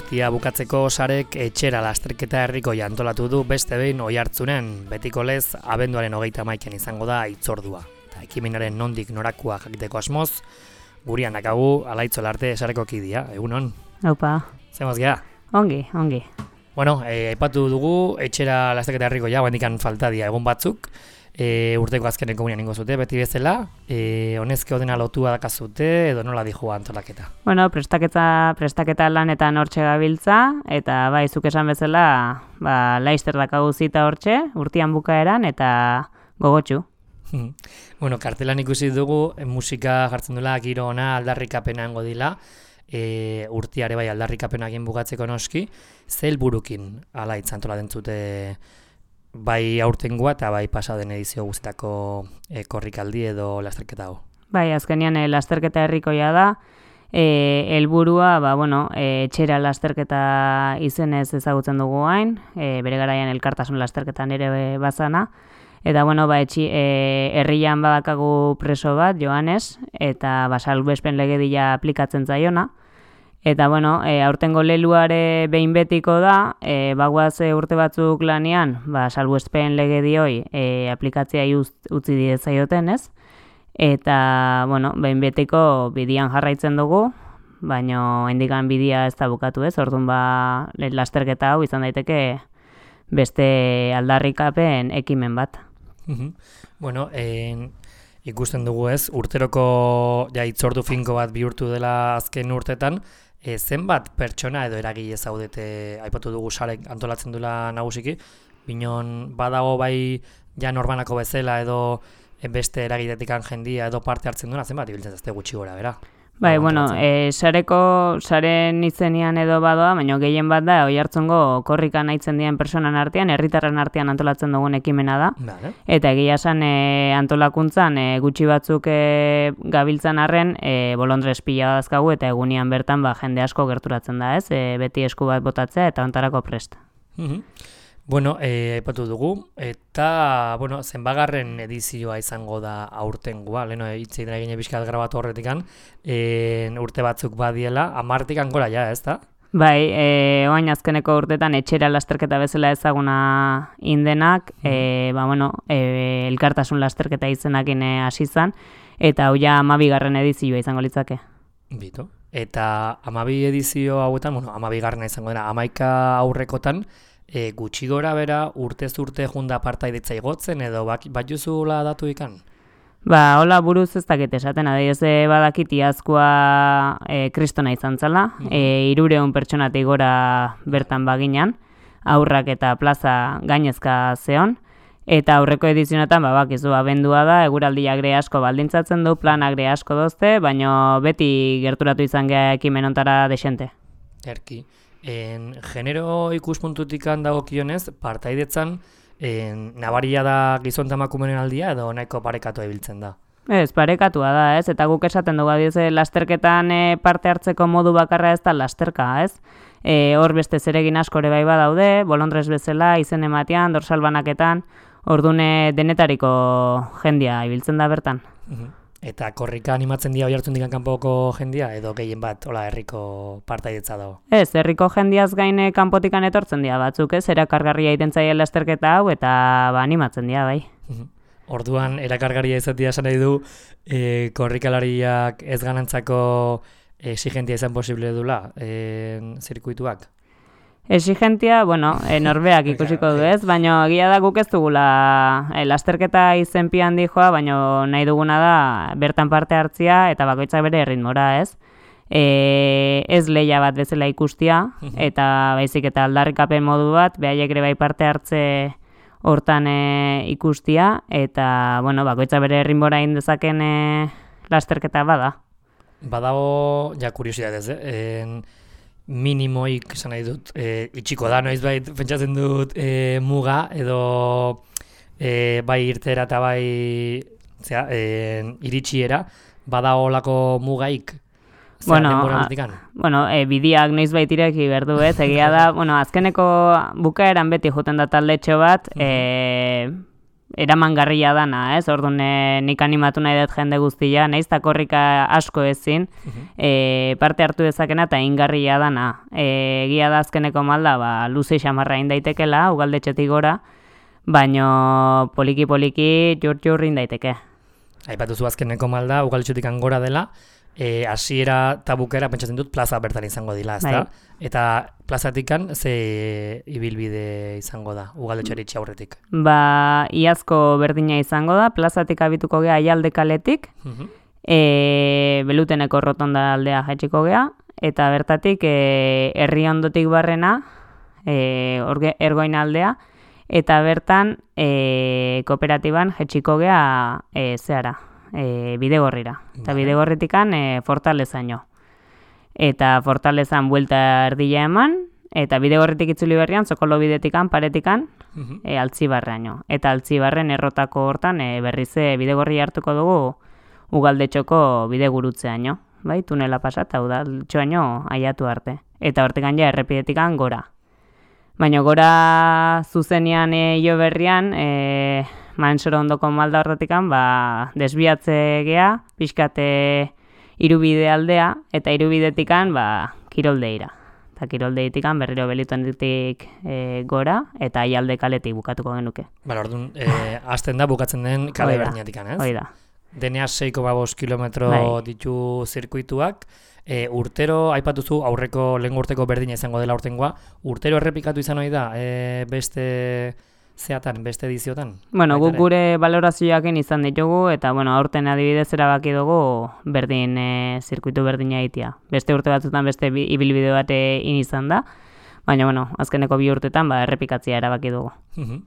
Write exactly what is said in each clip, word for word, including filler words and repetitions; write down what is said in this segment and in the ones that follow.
urtia bukatzeko sarek etxera lasterketa herrikoia antolatu du beste behin Oiartzunen, betiko lez abenduaren hogeita hamaikan izango da hitzordua. Eta ekimenaren nondik norakua jakiteko asmoz, gurian dakagu Alaitz Olarte sareko kidea, egunon? Opa. Zemoz geha? Ongi, ongi. Bueno, eh, aipatu dugu etxera lasterketa herrikoia, guendikan falta dia egun batzuk, E, urteko azkenen komunian ingo zute, beti bezala, e, honezke odena lotua dakazute, edo nola dijo antolaketa? Bueno, prestaketa, prestaketa lanetan hortxe gabiltza, eta bai, zuk esan bezala, ba, Laister dakagu zita hortxe, urtian bukaeran, eta gogotxu. Bueno, kartelan ikusi dugu, musika jartzen dula, giro ona aldarrikapena hango dila, e, urtiare bai aldarrikapena egin bukatzeko noski, ze helburukin Alaitz antola dentzute bai aurtengoa eta bai pasaden edizio guztietako e, korrikaldi edo lasterketa hau. Bai, azkenean e, lasterketa herrikoia da, e, helburua, ba, bueno, e, etxera lasterketa izenez ezagutzen dugu hain, e, bere garaian elkartasun lasterketan ere bazana, eta bueno, ba, etxi, e, herrian badakagu preso bat, Joanes, eta ba, salbuespen legedia aplikatzen zaiona. Eta, bueno, e, aurtengo leluare behin betiko da, e, bagoaz e, urte batzuk lanean, ba, salbuespen legedioi e, aplikatzea utzi dietzaioten, ez? Eta, bueno, behin betiko bidian jarraitzen dugu, baina hendikan bidia ez da bukatu, ez? Orduan, ba, lasterketa hau izan daiteke beste aldarrikapen ekimen bat. Bueno, en... ikusten dugu ez, urteroko ja, hitzordu finko bat bihurtu dela azken urtetan, e, zenbat pertsona edo eragile zaudete, aipatu dugu sarek antolatzen dula nagusiki, binon badago bai ja norbanako bezala edo beste eragiletik jendia edo parte hartzen duena, zenbat ibiltzen zazte gutxi gora, bera? Bai, bueno, e, sareko, saren izenian edo badoa, baina gehien bat da, Oiartzungo korrikan aitzen dien personan artean, herritarren artean antolatzen dugun ekimena da. Vale. Eta egia esan e, antolakuntzan e, gutxi batzuk e, gabiltzan arren, e, bolondrez pila dazkagu eta egunian bertan ba, jende asko gerturatzen da, ez? E, beti esku bat botatzea eta ontarako prest. Uh-huh. Bueno, eh, aipatu dugu, eta, bueno, zenbagarren edizioa izango da aurtengoa, leheno hitz egin egin bizkat grabatu horretikan, e, urte batzuk badiela, amartikan gora ja, ez da? Bai, e, oain azkeneko urtetan etxera lasterketa bezala ezaguna indenak, mm. e, ba, bueno, e, elkartasun lasterketa izenakin hasi izan, eta hau ja amabigarren edizioa izango litzake. Bito, eta amabi edizio hauetan, bueno, amabigarrena izango dena, amaika aurrekotan, E, gutxi gora bera urtez urte junda partaidetza igotzen edo bat, bat juzula datu ikan? Ba, hola buruz ez dakit esaten, adioz badakit iazkoa e, kristona izan zala, mm-hmm. e, irureun pertsonatik gora bertan baginan, aurrak eta plaza gainezka zeon, eta aurreko edizionetan, ba, bakizu abendua da, eguraldia gre asko baldintzatzen du, planak gre asko dozte, baina beti gerturatu izan geha ekimen ontara desente. Erki. En genero ikuspuntutik dagokionez, partaidetzan en, nabaria da gizon eta emakumeen aldia edo nahiko parekatu ibiltzen da? Ez, parekatua da, ez? Eta guk esaten dugu adioz, lasterketan e, parte hartzeko modu bakarra ez da lasterka, ez? E, hor beste zeregin asko ere bai badaude, bolondrez bezala, izen ematean, dorsal banaketan, ordune denetariko jendia ibiltzen da bertan. Uh-huh. Eta korrika animatzen dira Oiartzundik kanpoko jendia edo gehien bat hola herriko partaidetza dago? Ez, herriko jendiaz gaine kanpotikan etortzen dira batzuk, ez? Erakargarria egiten zaien lasterketa hau eta ba, animatzen dira bai. Orduan erakargarria izatea esan nahi du e, korrikalariak ez ganantzako exigentia izan posible dula e, zirkuituak? Exigentia, bueno, e, norbeak ikusiko du ez, baina egia da guk ez dugula e, lasterketa izenpian dijoa, baina nahi duguna da bertan parte hartzia eta bakoitzak bere erritmora ez. E, ez lehia bat bezala ikustia, eta baizik eta aldarrikapen modu bat, behaiek ere bai parte hartze hortan e, ikustia, eta bueno, bakoitzak bere erritmora indezaken e, lasterketa bada. Badago, ja kuriosidadez, eh? minimoik esan nahi dut, e, itxiko da, noiz bai, pentsatzen dut e, muga, edo e, bai irtera eta bai zera, e, iritsiera, bada holako mugaik? Bueno, a, bueno e, bidiak noiz bait ireki berdu ez, egia da, bueno, azkeneko bukaeran beti joten da taldetxo bat, e, eramangarria dana, ez? Orduan e, nik animatu nahi dut jende guztia, nahiz eta korrika asko ezin, e, parte hartu dezakena eta ingarria dana. E, egia da azkeneko malda, ba, luze xamarra indaitekela, ugaldetxetik gora, baino poliki-poliki jurt-jurt indaiteke. Aipatuzu azkeneko malda, ugaldetxetik gora dela, E, hasiera eta bukera pentsatzen dut plaza bertan izango dila, ezta? Bai. Eta plazatikan ze ibilbide izango da, ugaldetxeari aurretik? Ba, iazko berdina izango da, plazatik abituko gea Aialde kaletik, uh-huh. e, Beluteneko rotonda aldea jaitsiko gea, eta bertatik e, herri ondotik barrena, e, orge, ergoin aldea, eta bertan e, kooperatiban jaitsiko gea e, zehara. E, bidegorrira. Eta vale. Bidegorritikan e, Fortalezaino. Eta Fortalezan buelta erdila eman, eta bidegorritik itzuli berrian, Zokolo bidetikan, paretikan, uh-huh. e, Altzibarraino. Eta Altzibarren errotako hortan e, berrize bidegorri hartuko dugu Ugaldetxoko bidegurutzeaino. Bai, tunela pasat, hau da, txoaino aiatu arte. Eta hortikan ja errepidetikan gora. Baina gora zuzenian e, jo berrian, e, Mansoro ondoko malda horretikan, ba, desbiatze gea, pixkate irubide aldea, eta irubidetikan, ba, kiroldeira. Eta kiroldeietikan berriro Belutenetik e, gora, eta Aialde kaletik bukatuko genuke. Bala, orduan, e, hasten da bukatzen den kale berdinatikan, ez? Hoi da. Deneaz sei koma bost kilometro bai. Ditu zirkuituak, e, urtero, aipatuzu, aurreko lehen urteko berdina izango dela urtengoa, urtero errepikatu izan hori da, e, beste... zeatan, beste ediziotan? Bueno, guk gure valorazioakin izan ditugu, eta bueno, aurten adibidez erabaki dugu berdin, e, zirkuitu berdina egitea. Beste urte batzutan beste ibilbide bat in izan da, baina bueno, azkeneko bi urtetan ba, errepikatzea erabaki dugu. Uh-huh.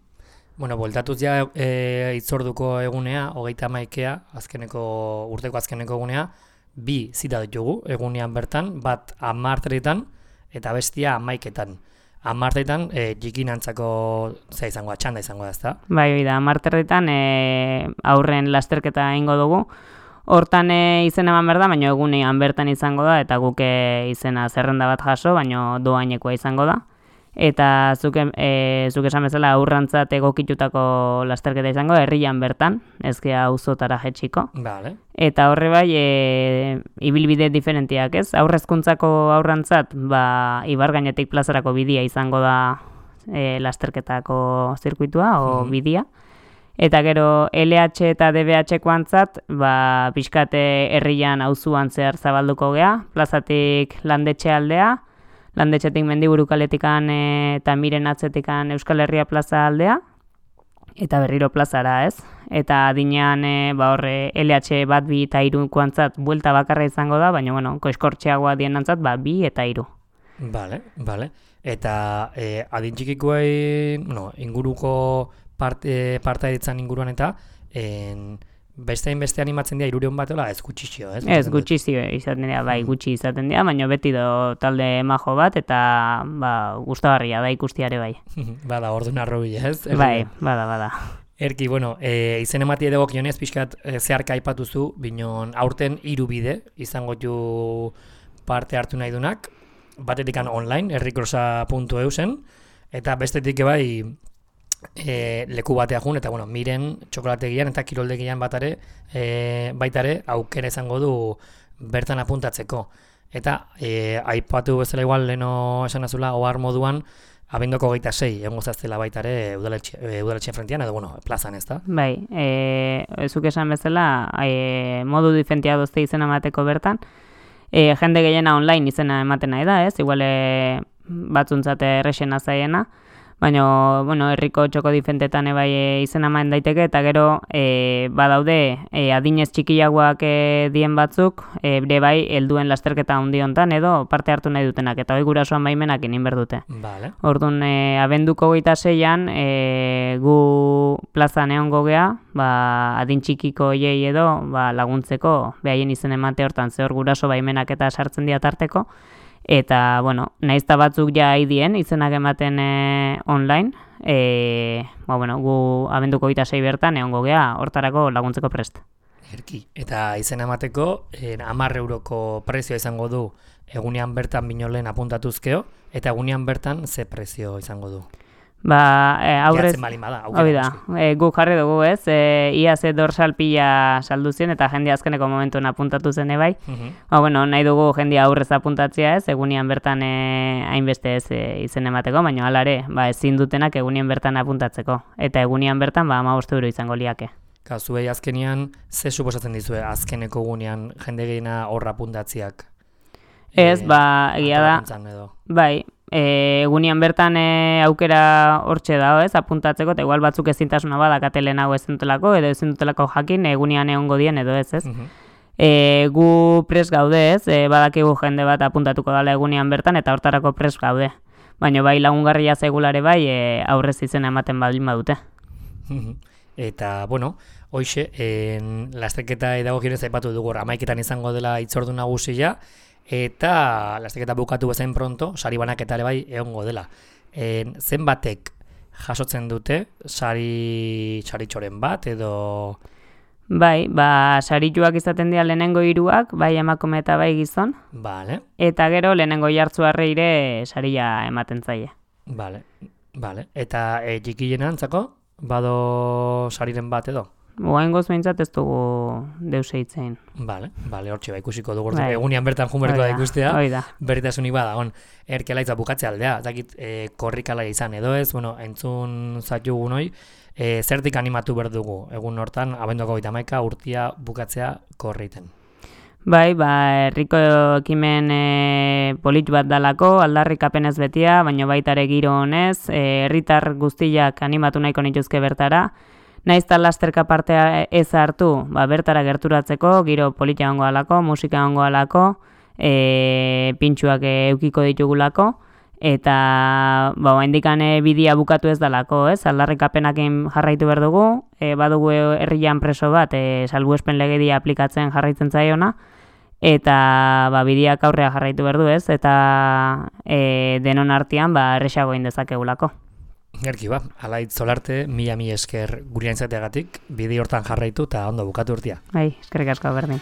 Bueno, bueltatuz ja e, itzorduko egunea, hogeita hamaikea, azkeneko, urteko azkeneko egunea, bi zita ditugu egunean bertan, bat hamarteretan eta bestia hamaiketan. Amartetan, e, jikinantzako ze izango da, txanda izango da, ezta? Bai, bai da, amartetan e, aurren lasterketa ingo dugu. Hortan e, izen eman berda, baina egunean bertan izango da, eta guke izena zerrenda bat jaso, baina doainekoa izango da. Eta zuke, e, zuke esan bezala aurrantzat egokitutako lasterketa izango, herrian bertan, ezkea auzotara jetxiko. Vale. Eta horre bai, e, ibilbide diferentiak ez, aurrezkuntzako aurrantzat, ba, Ibargainetik plazarako bidia izango da e, lasterketako zirkuitua, o hmm. bidia. Eta gero L H eta D B H koantzat, ba, pixkate herrian auzuan zehar zabalduko gea, plazatik Landetxe aldea, Landetxetik Mendiburu kaletikan e, eta Miren atzetikan Euskal Herria plaza aldea, eta berriro plazara, ez? Eta adinean e, ba horre L H bat bi eta hiru koantzat buelta bakarra izango da, baina bueno, koizkortxeagoa dienantzat ba bi eta hiru. Vale, vale. Eta e, adin txikikoei, no, inguruko parte parta ditzan inguruan eta en, bestein beste animatzen dira hirurehun bat ez gutxixio, ez? Ez gutxizio izaten dira, bai, gutxi izaten dira, baina beti do talde majo bat eta ba gustagarria da ikustiare bai. Bada, ordun arrobila, ez? Bai, bada, bada. Erki, bueno, e, izen emati edagokionez pixkat e, zeharka aipatuzu, binon aurten hiru bide izango ju parte hartu nahi dunak, batetikan online, herrikrosa puntu eu zen, eta bestetik bai e, leku batea jun, eta bueno, Miren txokolategian eta kiroldegian batare, e, baitare aukera izango du bertan apuntatzeko. Eta e, aipatu bezala igual leno esan azula, ohar moduan, abendoko hogeita sei, egon zaztela baitare udaletxean frentian, edo bueno, plazan ez da? Bai, e, zuk esan bezala, e, modu diferentia dozte izena emateko bertan, e, jende gehiena online izena ematen nahi da, ez? Igual e, batzuntzate errexena zaiena, baina, bueno, herriko txoko difentetan ebai e, izena eman daiteke, eta gero e, badaude e, adinez txikiagoak e, dien batzuk, e, ere bai helduen lasterketa handi hontan edo parte hartu nahi dutenak, eta hori gurasoan baimenak egin behar dute. Vale. Orduan, e, abenduko hogeita seian, e, gu plazan egongo gea, ba, adin txikiko hiei edo ba, laguntzeko, behaien izen emate hortan, zehor guraso baimenak eta sartzen dira tarteko, eta, bueno, naizta batzuk ja haidien izenak ematen e, online, e, ba, bueno, gu abenduko hogeita sei bertan egongo gea hortarako laguntzeko prest. Erki, eta izena emateko, eh, hamar euroko prezioa izango du egunean bertan binolen apuntatuzkeo, eta egunean bertan ze prezio izango du? Ba, e, aurrez... Gehatzen balin bada, Hoi da, e, guk jarri dugu ez, e, ia ze dorsal pila saldu zen eta jende azkeneko momentuen apuntatu zen ebai. Mhm. Ba, bueno, nahi dugu jendea aurrez apuntatzea ez, egunian bertan e, hainbeste ez e, izen emateko, baina hala ere, ba, ezin dutenak egunian bertan apuntatzeko. Eta egunian bertan, ba, hamabost euro izango liake. Ka, zuei azkenian, ze suposatzen dizue azkeneko gunean jende gehiena horra apuntatziak? Ez, E, ba, egia da, antolakuntzan edo. bai, e, egunian bertan e, aukera hortxe dago ez, apuntatzeko, eta igual batzuk ezintasuna badakate lehenago ezin dutelako, edo ezin dutelako jakin egunian egongo dien edo ez ez. Mhm. E, gu pres gaude ez, e, badakigu jende bat apuntatuko dela egunian bertan, eta hortarako pres gaude. Baina bai lagungarria zegulare bai e, aurrez izena ematen baldin badute. Mhm. Eta, bueno, hoxe, en, lasterketa edagogionez aipatu dugu, hamaiketan izango dela hitzordu nagusia, eta lasterketa bukatu bezain pronto, sari banaketa ere bai egongo dela. En, zenbatek jasotzen dute, sari saritxoren bat, edo... Bai, ba, sarituak izaten dira lehenengo hiruak, bai emakume eta bai gizon, Vale, eta gero lehenengo jartzuarreire saria ematen zaie. vale, vale. Eta e, txikien antzako, bado sariren bat edo? Oaingoz behintzat ez dugu deuse hitzein. Vale, vale, hortxe ba ikusiko dugu, Bai. egunean bertan junberko da ikustea. Hoi da. Berritasunik badagon, erkelaitza bukatze aldea, zakit e, korrikala izan edo ez, bueno, entzun zatugu noi, e, zertik animatu behar dugu, egun hortan, abenduako hogeita hamaika urtia bukatzea korriten. Bai, ba, herriko ekimen e, polit bat dalako, aldarrikapenez betia, baina baita ere giro honez, e, herritar guztiak animatu nahiko nituzke bertara, naiz eta lasterka partea ez hartu, ba, bertara gerturatzeko, giro polita egongo alako, musika egongo alako, e, pintxuak eukiko ditugulako, eta ba, oraindikan bidia bukatu ez dalako, ez? Aldarrikapenakin jarraitu behar dugu, e, badugu herrian preso bat, e, salbuespen legedia aplikatzen jarraitzen zaiona, eta ba, bidiak aurrea jarraitu behar du, ez? Eta e, denon artean ba, erresago egin dezakegulako. Gerki ba, alaitz solarte, mila mi esker gurean izateagatik, bide hortan jarraitu eta ondo bukatu urtia. Bai, eskerrik asko berdin.